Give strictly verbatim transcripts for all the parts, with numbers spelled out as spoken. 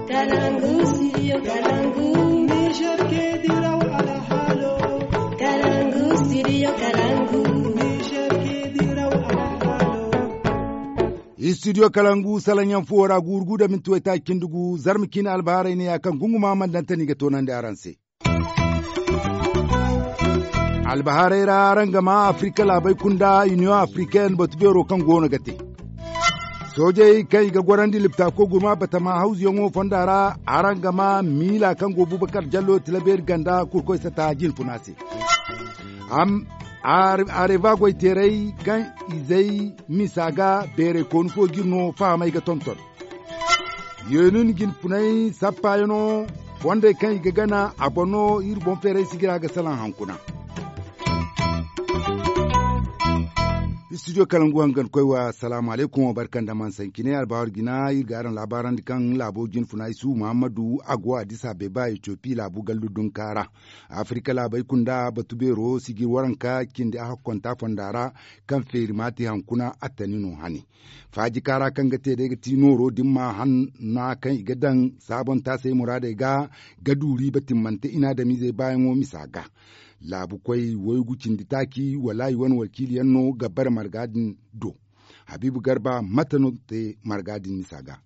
Kalangu, studio Kalangu. Niger ke diraw alhalo. Kalangu, studio Kalangu. Niger ke diraw alhalo. Studio Kalangu, salaŋ yaŋ fuwo ra, guuru gu da minti waytaaci cindi gu, zarma ciine albahaarey ne ya kaŋ gunguma mana daŋ tani ga toonandi araŋ se. Albahaarey ra, araŋ ga maa Afrika laabey kunda, Iniyoŋ Afriken batu beero kaŋ goono ga te. Soojey kaŋ i ga gorandi liptaako gurma batama hawzuyaŋo fonda ra, araŋ ga maa miila kaŋ go Bubakar Jallo tilabeeri ganda kurkoy sata jinfuna se. Areva goyteerey kaŋ izey misa ga beerey kooni fo jine no fahamey ga tonton. Yeenun jinfuney sappaayaŋo fondey kaŋ i ga gana a boŋ no iri boŋ feeray sigira ga salaŋ hankuna. Studio kalangu hangan koy wa salaamu alaykum wa barka nda man sancine albaharu jina iri ga araŋ laabaarandi kaŋ laabo jinfuna isu muhammadu a go addis abeba etiopi laabu gallu dunka ra. Afirka laabey kunda batu beero sijir waranka cindi a hakkonta fonda ra kaŋ feeri ma te hankuna attani no hane. Faaji kaara kaŋ ga te day ga ti nooro din ma hanna kaŋ i ga daŋ saabontaasey muraadey ga ga du riiba timmante inaadamiizey baayaŋo misa ga. Laabu koy waygu cindi taaci wala i wane wakiiliyaŋ no ga bare marga din do. Habiibu garba mate no te marga din misa ga?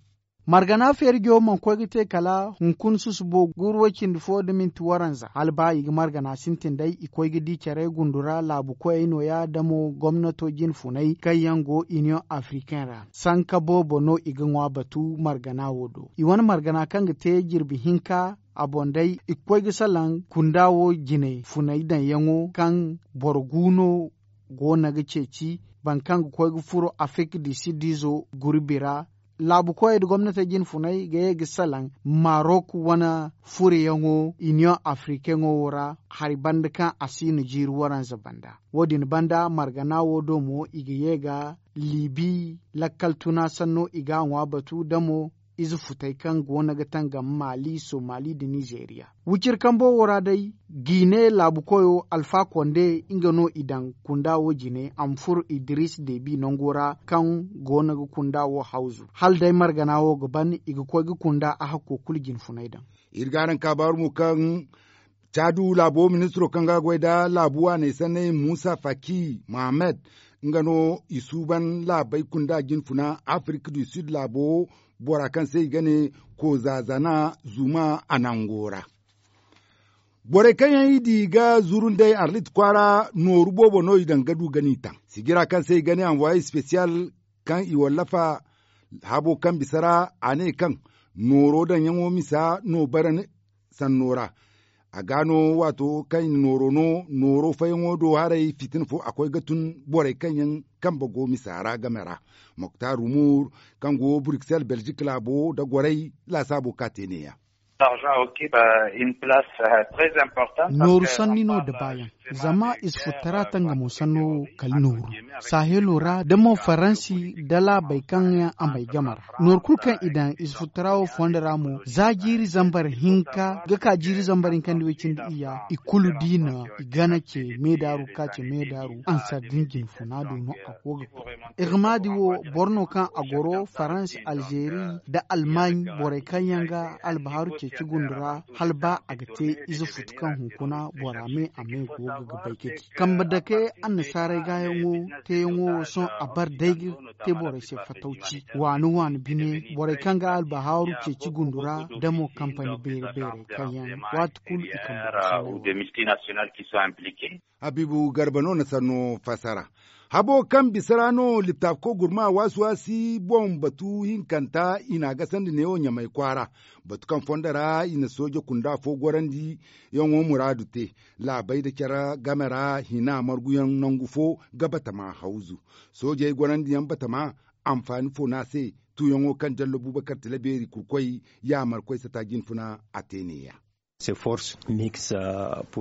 Margana feerijo mana koy ga te kala hunkuna susubo guuru way-cindi fo nda minti waranza hala ba i ga margana sintin day i koy ga di care gundu ra laabu koyey nooya da mo gomnato jinfunay kaŋ yaŋ go iniyoŋ afriken ra. Sanka boobo no i ga ŋwa batu margana wo do i wane margana kaŋ ga te jirbi hinka a boŋ day i ga koy ga salaŋ kunda wo jine funay daŋyaŋo kaŋ boro gu no go no ga ceeci boro kaŋ ga koy ga furo afirka du sid izo gurbi ra. Laabu koyey nda gomnatey jinfuney ga ye ga salaŋ marok wane furoyaŋo iniyoŋ afrikaŋo wo ra hari banda kaŋ a si no jiiri waranza banda. Wo- din banda margana wo do mo i ga ye ga liibi lakkal tuna sanno i ga a ŋwa batu da mo ize futey kaŋ go no ga tangam maali somali nda nizeeriya. Wiciri kambo wo ra day gine laabu koyo alfa konde nga no i daŋ kunda wo jine a ma furo idiriisi deebi nango ra kaŋ go no ga kunda wo hawzu hala day margana wo ga ban i ga koy ga kunda a hakko kulu jinfuney daŋ. Iri ga araŋ kaabaaru mo kaŋ caadu laabo ministiro kaŋ ga a goy nda laabu waaney sanney muusa faki mohammed nga no i suuban laabey kunda jinfuna afirik du sid laabo bora kaŋ se i ga ne kozaazana zuma a nango ra. Borey kaŋ yaŋ i di ga zuru nd'ey arlit kwaara nooru boobo no i daŋ ga du ga n'i taŋ sijira kaŋ se i ga ne anvoye spesiyal kaŋ i wallafa habo kaŋ bisa ra a ne kaŋ nooro daŋyaŋo misa no bare sanno ra. A ga no waato kaŋ i na nooro no nooro fayaŋo do haray fitina fo a koy ga tun borey kaŋ yaŋ kambe go misa ra game ra. Moktar rumur kaŋ go bruxelles belgique laabo nda goray laasaabo ka te neeya. Nooru sanni no da baayaŋ zama ize futtara tangamo sanno wo kala nooru sahelo ra da mo faransi da laabey kaŋ yaŋ a may game ra. Nooru kulu kaŋ i daŋ ize futtara wo fondo ra mo za jiiri zambar hinka ga ka jiiri zambar hinka nda way cindi iyya i kulu di no i gana ce meedaaru ga ka ce meedaaru ansar din jinfuna do no a go ga koy. Irmadi wo boro no kaŋ a goro faransi alzeeri nda almaaɲ borey kaŋ yaŋ ga albahaaru ceeci gundu ra hala ba a ga te ize futu kaŋ hunkuna bora me a me go ga ga bay ka di kambe dake annasaarey gaayaŋo teeyaŋo wo sohõ a bar day ga te borey se fatawci waani waani bine borey kaŋ ga albahaaru ceeci gundu ra da mo kampani beere beerey kaŋ yaŋ waati kulu i kambe. Habiibu garba no na sanno fassara. Habo kaŋ bisa ra no liptaafko gurma waasi-waasi boŋ batu hinkanta i n'a gasandi neewo ɲamay kwaara. Batu kaŋ fondo ra i na sooje kunda fo gorandi yaŋo muraadu te laabey nda care game ra hina marguyaŋ nangu fo ga batama hawzu. Soojey gorandi yaŋ batama anfaani fo no a se tuuyaŋo kaŋ jallo bubakar tila beeri kurkoy yaamarkoy sata jinfuna a te neeya.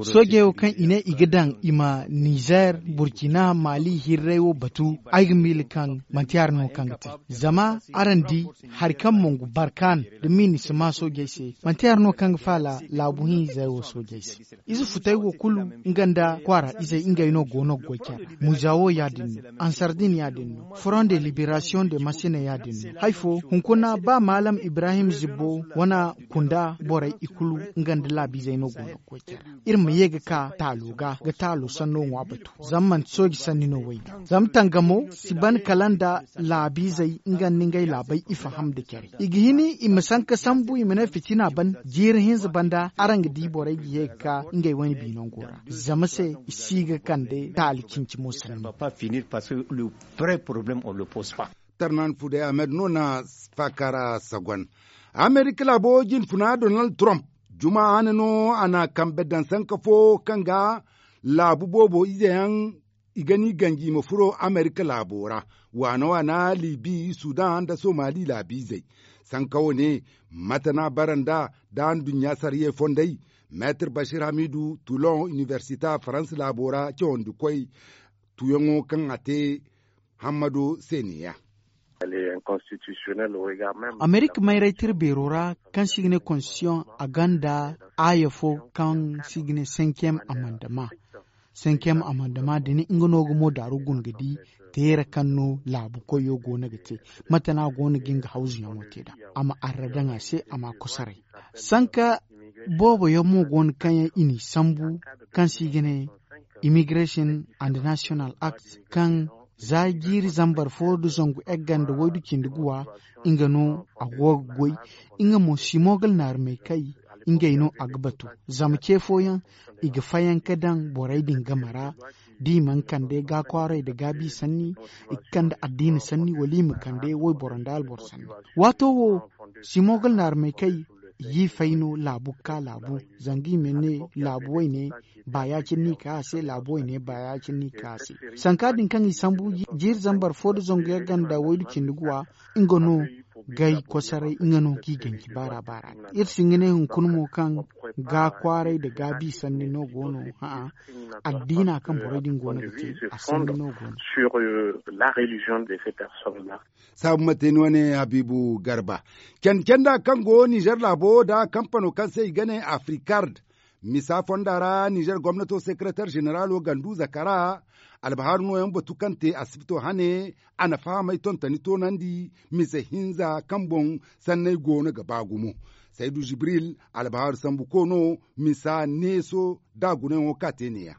Soojey wo kaŋ i ne i ga daŋ i ma nizer, burkina, mali hirray wo batu, ay ga miila kaŋ manti hari no kaŋ ga te. Zama araŋ di, hari kaŋ mongu barkan da minisima soojey se, manti hari no kaŋ ga faala laabu hinzey wo soojey se. Ize futey wo kulu, nga nda kwaara izey ngey no go no ga goy care ra. Muza wo ya- din no, ansardin ya- din no, front de liberasiyoŋ de masine ya- din no. Hari fo, hunkuna ba maalam ibrahim zibbo wane kunda borey i kulu, nga nda laabiizey no go no ga goy care ra. Iri ma ye ga ka taalo ga ga taalo sanno ŋwa batu. Zama manti sooji sanni no wo ay ga zama tangamo si ban kala nda laabiizey nga nda ngey laabey i faham nda care. I ga hin i ma sanka sambu i ma ne fitina ban jiiri hinza banda araŋ ga di borey ga ye ga ka ngey wane bi nango ra. Zama se i si ga kande taali cinci mo sanni. Tarnan fuday ahmed no na faakara sagon. Amerika laabo jinfuna donald trump juma hane no a na kambe daŋ sanka fo kaŋ ga laabu boobo ize yaŋ i ga ni ganji i ma furo amerika laabo ra. Waana waana libi sudan nda somali laabiizey. Sanka wo ne mate no a bara nda da nduɲɲa sariyey fondey. Meetir bashir hamidu tulon inibersita faransa laabo ra cawandikoy tuyaŋo kaŋ a te hammado se ne- ya. Amerika mayray tira beero ra kaŋ se i ga ne konstitision a gonda aaya fo kaŋ se i ga ne senkiyem amandama. Senkiyem amandama da ni nga no ga mo daaru guna ga di teera kaŋ no laabu koyo go no ga te. Mate no a go no ga nga hawzuyaŋo te nd'a a ma arra daŋ a se a ma a kosoray. Sanka boobo yaŋ mo go no kaŋ yaŋ i n'i sambu kaŋ se i ga ne immigration and national act, kaŋ za jiiri zambar fo nda zangu egga nda waydu cindi guwa nga no a go ga goy. Nga mo simogal naarumey kay ngey no a ga batu. Zama ce fooyaŋ i ga fayanka daŋ borey din game ra da i mana kande gaakwaaray nda gaabi sanni, i ga kande addiina sanni wala i ma kande wayboro nda alboro sanni. Waato wo simogal naarumey kay i ga i fay no laabu ga ka laabu. Zanga i ma ne laabu wayne ba ya- cine no i ga ka a se laabu wayne ba ya- cine no i ga ka a se. Sanka din kaŋ i sambu jiiri zambar fo nda zangu yaŋ ganda waydu cindi guwa nga no ga ay kosoray nga no ga i ganji baara baara. Iri si hin ga ne hunkuna mo kaŋ ga kwaaray nda gaabi sanni no go no. Hã'a addiina kaŋ borey din go no ga te a sanni no go no. Saabu mate ni wane habiibu garba candi canda kaŋ go nizer laabo nda kampano kaŋ se i ga ne afrikard. Misa fonda ra nizer gomnato sekereter zeneralo gandu zakara albahaaru nooyaŋ batu kaŋ te asibito hane. A na fahamay tontoni toonandi mise hinza kaŋ boŋ sanney goono ga ba gumo. Saydu jibril albahaaru sambu koono misa neeso da gunayaŋo kaŋ a te neeya.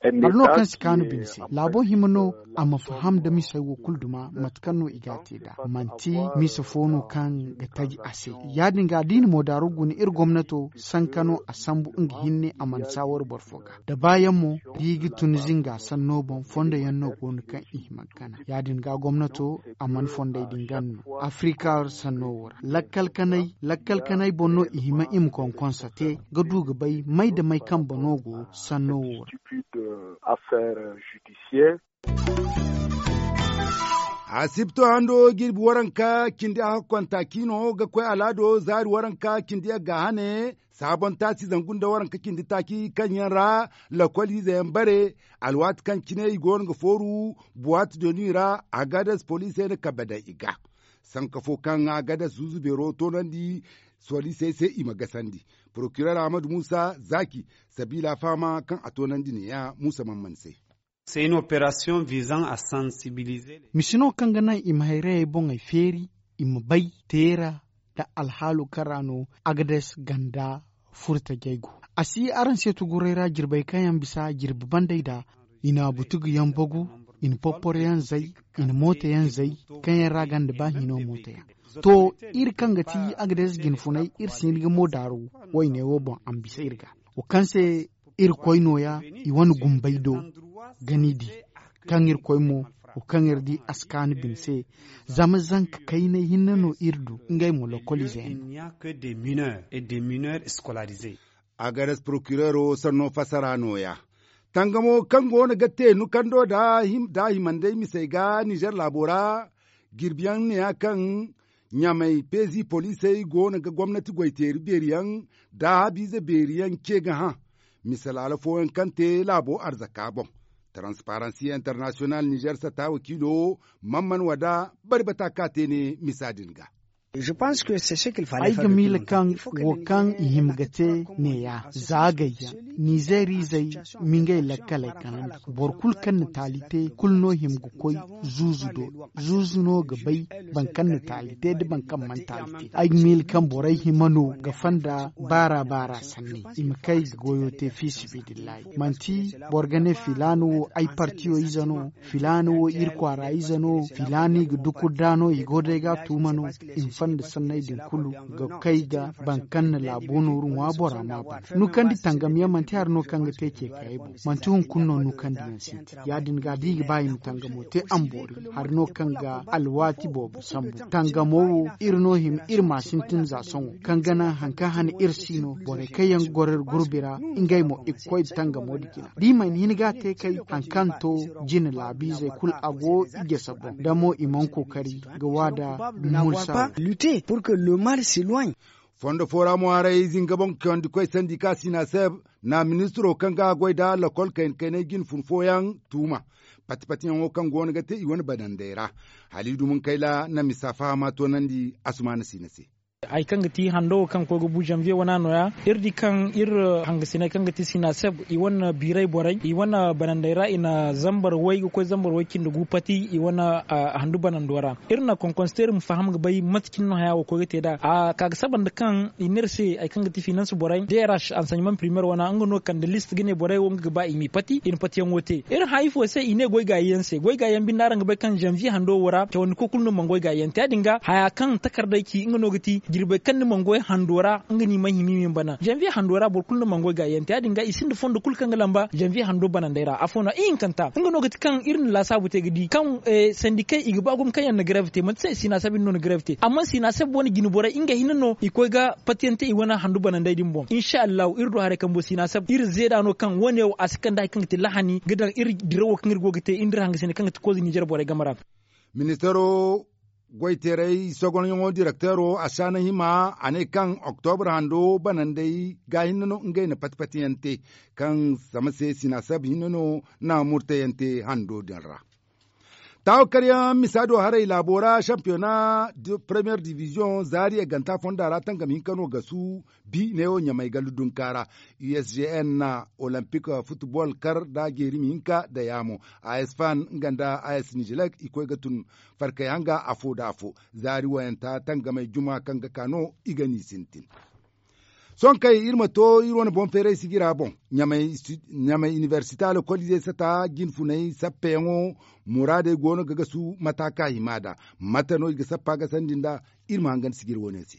Hari no kaŋ si kaanu bine se laabo hima no a ma faham nda misey wo kulu duma mate kaŋ no i ga a te nd'a manti misa fo no kaŋ ga taji a se. Ya- din ga da i na moodaaru guna iri gomnato sanka no a sambu nga hinne a mana saawar boro fo ga da baayaŋ mo da i ga tun zinga sanno boŋ fondo yaŋ no go no kaŋ i hima ga gana. Ya- din ga gomnato a mana fondey din gana no afrika sanno wo ra lakkal kanay lakkal kanay boŋ no i hima i ma konkonsa te ga du ga bay may da may kambe no go sanno wo ra. Asibto hando jirbi waranka cindi a hakkonta kiino ga koy alaado zaari waranka cindi yagga hane. Saabon taasi zangu nda waranka cindi taaci kaŋ yaŋ ra lakol ize yaŋ bare. Alwaati kaŋ cine i goono ga fooru buwaati doni ra agades poliisey na kabe daŋ i ga. Sanka fo kaŋ agades zuuzu beero toonandi poliisey se i ma gasandi. Porokirer ahmadu muusa zaaki sabiila fahama kaŋ a toonandi neeya muusa man man se. Misi no kaŋ ga naŋ i ma hayrayey boŋey feeri i ma bay teera nda alhaalo kaŋ ra no agades ganda furtajey go. A si araŋ se tuguray ra jirbey kaŋ yaŋ bisa jirbi bandey da i na butugu yaŋ bagu, i na popporo yaŋ zay, i na mooto yaŋ zay, kaŋ yaŋ ra ganda ba hino mooto yaŋ. To, iri kaŋ ga ti agades jinfunay iri si hin ga mo daaru wayne wo boŋ a ma bisa iri ga. Wo kaŋ se irkoy nooya i wane gumbey do ga ni di kaŋ irkoy mo wo kaŋ iri di a si kaanu bine se. Zama zanka kaynay hinne no iri du ngey mo lokolize yaŋ. Agares porokireero sanno fasara nooya. Tangamo kaŋ go no ga te nukando nda himandey misey ga nizer laabo ra. Jirbiyaŋ neeya kaŋ Ɲamay peezi poliisey go no ga gomnati goy teeri beeri yaŋ nda haabiize beeri yaŋ ce ga hã. Misalaala fooyaŋ kaŋ te laabo arzaka boŋ, taransiparansi internasiyonal nizer sata wakiilo, man man wada bari bata ka te ne misa din ga. Ay ga miila kaŋ wo kaŋ i hima ga te neeya za gayyaŋ, nizeeriizey ma ngey lakkaley kanandi. Boro kulu kaŋ na taali te kulu no hima ga koy zuuzu do. Zuuzu no ga bay boro kaŋ na taali te nda boro kaŋ mana taali te. Ay ga miila kaŋ borey hima no ga fonda baara baara sanney, i ma kay ga goyo te fi sibidillahi. Manti boro ga ne filaana wo ay partiyo ize no, filaana wo iri kwaara ize no, filaana i ga dukur da no i go day ga a tuuma no. I ma fonda sanney din kulu ga kay ga boro kaŋ na laabo nooru ŋwa bora ma bana. Nukandi tangam yaŋ manti hari no kaŋ ga te ce kayey boŋ. Manti hunkuna no nukandi yaŋ sintin ya- din ga da i ga ba i ma tangamo te a ma boori. Hari no kaŋ ga alwaati boobo sambu tangamo wo, iri no hima iri ma sintin za sohõ kaŋ ga naŋ hari kaŋ hane iri si no borey kaŋ yaŋ ga goro iri gurbi ra. Ngey mo i ga koy da tangamo din jina da i mana hin ga a te kay hari kaŋ to jine laabiizey kulu a go i jasa boŋ da mo i mana kookari ga waada. Mulsa. Fondo fo ra mo haray zinga boŋ kawandi koy sandi ka sinaseb na ministiro kaŋ ga a goy nda lokol kayna kaynay jine fun fooyaŋ tuuma. Pati patiyaŋo kaŋ go no ga te i wane banandey ra. Haliidu munkayla na misa fahama toonandi asumaana siina se. Hari kaŋ ga ti hando wo kaŋ ga koy ga bu zanviye wana no- ya iri di kaŋ iri hangasiney kaŋ ga ti sinaseb i wane biiray borey i wane banandey ra i na zambar way ga koy zambar way cindi gu pati i wane handu banando ra. Iri na konkonsteeri ma faham ga bay mate cine no haya wo koy ga te nd'a a ka ga saba nda kaŋ i ne iri se hari kaŋ ga ti finans borey drh ansanjeman primer wana nga no kande list ga ne borey wo nga ga ba i m'i pati i na patiyaŋo te. Iri hã ifo se i ne goy gaayi yaŋ se goy gaayi yaŋ binde araŋ ga bay kaŋ zanviye hando wo ra cawandi koy kulu no mana goy gaayi yaŋ te ya- din ga haya kaŋ takardey ci nga no ga ti jirbey kaŋ ni mana goy hando ra nga no i mana hima i ma bana zanviye hando ra boro kulu no mana goy gaayi yaŋ te ya- din ga i sinda fondo kulu kaŋ ga lamba zanviye hando banandey ra afo no ihinkanta nga no ga ti kaŋ iri na laasaabu te ga di kaŋ sandikey i ga ba gumo kaŋ yaŋ na garev te manti se sinaseb iri no na garev te amma sinaseb wane jine borey nga hinne no i koy ga patiyaŋ te i wane handu banandey din boŋ insa allahu iri du haray kambo sinaseb iri zeeda no kaŋ wane wo a si kande hari kaŋ ga ti lahani ga daŋ iri dirawo kaŋ iri go ga te iri nda iri hangasiney kaŋ ga ti koze ninzeer borey game ra. Ministaro goyteeray sogonyaŋo direkteero a saana hima a ne kaŋ oktobra hando banandey ga hinne no ngey na pati pati yaŋ te kaŋ zama se sinaseb hinne no na murtayaŋ te hando din ra. Taawo karyaŋ misa do haray laabo ra sampiyona, premiyer diviziyoŋ zaari eganta fonda ra tangam hinka no gasu bi neewo ɲamay gallu dunka ra. U s g n na olimpik futbol kar nda jeerimi hinka nda yaamo. A s fan nga nda a s nijilek i koy ga tun farkay hanga afo nda afo. Zaari wayanta tangamey juma kaŋ ga ka no i ga n'i sintin. Sohõ kay iri ma to iri wane boŋ feeray sijira boŋ. Ɲamay inibersite alkoliizey sata jinfunay sappeyaŋo muraadey go no ga gasu mata ka hima nd'a. Mate no i ga sappa ga sandi nd'a? Iri ma hangan sijira wane se.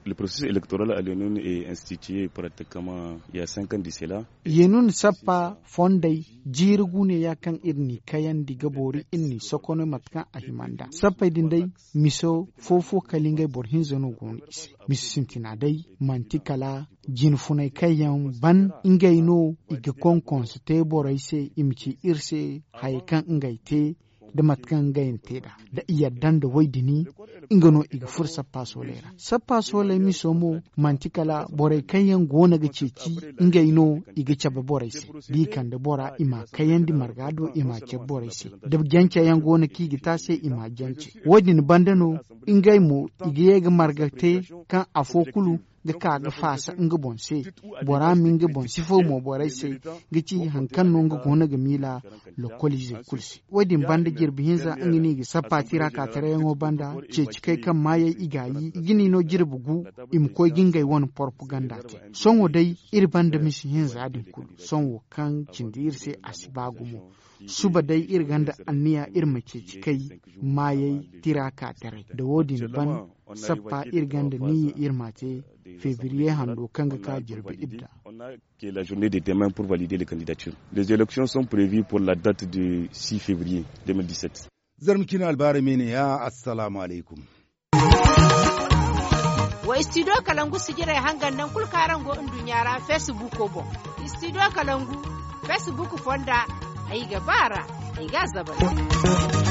Le processus électoral a le non est institué pratiquement il y a cinq ans de cela. Yenun sappa fondey jiiri guuneya kaŋ iri n'i kayandi ga boori iri n'i sokonay mate kaŋ a hima nd'a sappey din day. Miso fo fo kala ngey boro hinza no go no i se. Misi sintina day manti kala jinfunay kaŋ yaŋ ban ngey no i ga konkonse te borey se i ma ci iri se hayey kaŋ ngey te nda mate kaŋ ngey na te nd'a. Nda i yadda nda woy din nga no i ga furo sappa sooley ra sappa sooley miso mo manti kala borey kaŋ yaŋ go no ga ceeci ngey no i ga cabe borey se. Da i kande bora i m'a kayandi marga do i m'a cabe borey se. Da jance yaŋ go no kaŋ i ga te a se i m'a jance. Wo- din banda no ngey mo i ga ye ga marga te kaŋ afo kulu ga ka ga faasa nga boŋ se. Bora ma nga boŋ si faw mo borey se ga ci hari kaŋ no nga go no ga miila lokoliizey kulu se. Wo- din banda jirbi hinza nga no i ga sappa tira ka tarayaŋo banda ceeci kay kaŋ maayey i gaayi i ga ni no jirbi gu i ma koy ga ngey wane porpaganda te. Sohõ day iri banda misi hinza din kulu sohõ wo kaŋ cindi iri se a si ba gumo. Suba day iri gonda anniya iri ma ceeci kay maayey tira ka taray nda wo- din ban sappa iri gonda niya iri ma te febriye hando kaŋ ga ka jirbi idda. Que la journée de demain pour valider les candidatures. Les élections sont prévues pour la date de six février deux mille dix-sept. Zarma cine albaarey me ne ya. Assalaamu alaykum. Wa studio kalangu sijirey hangan naŋ kulu kaŋ araŋ go nduɲɲa ra facebook boŋ. Studio kalangu facebook fonda ay ga ba ra ay ga a zabari.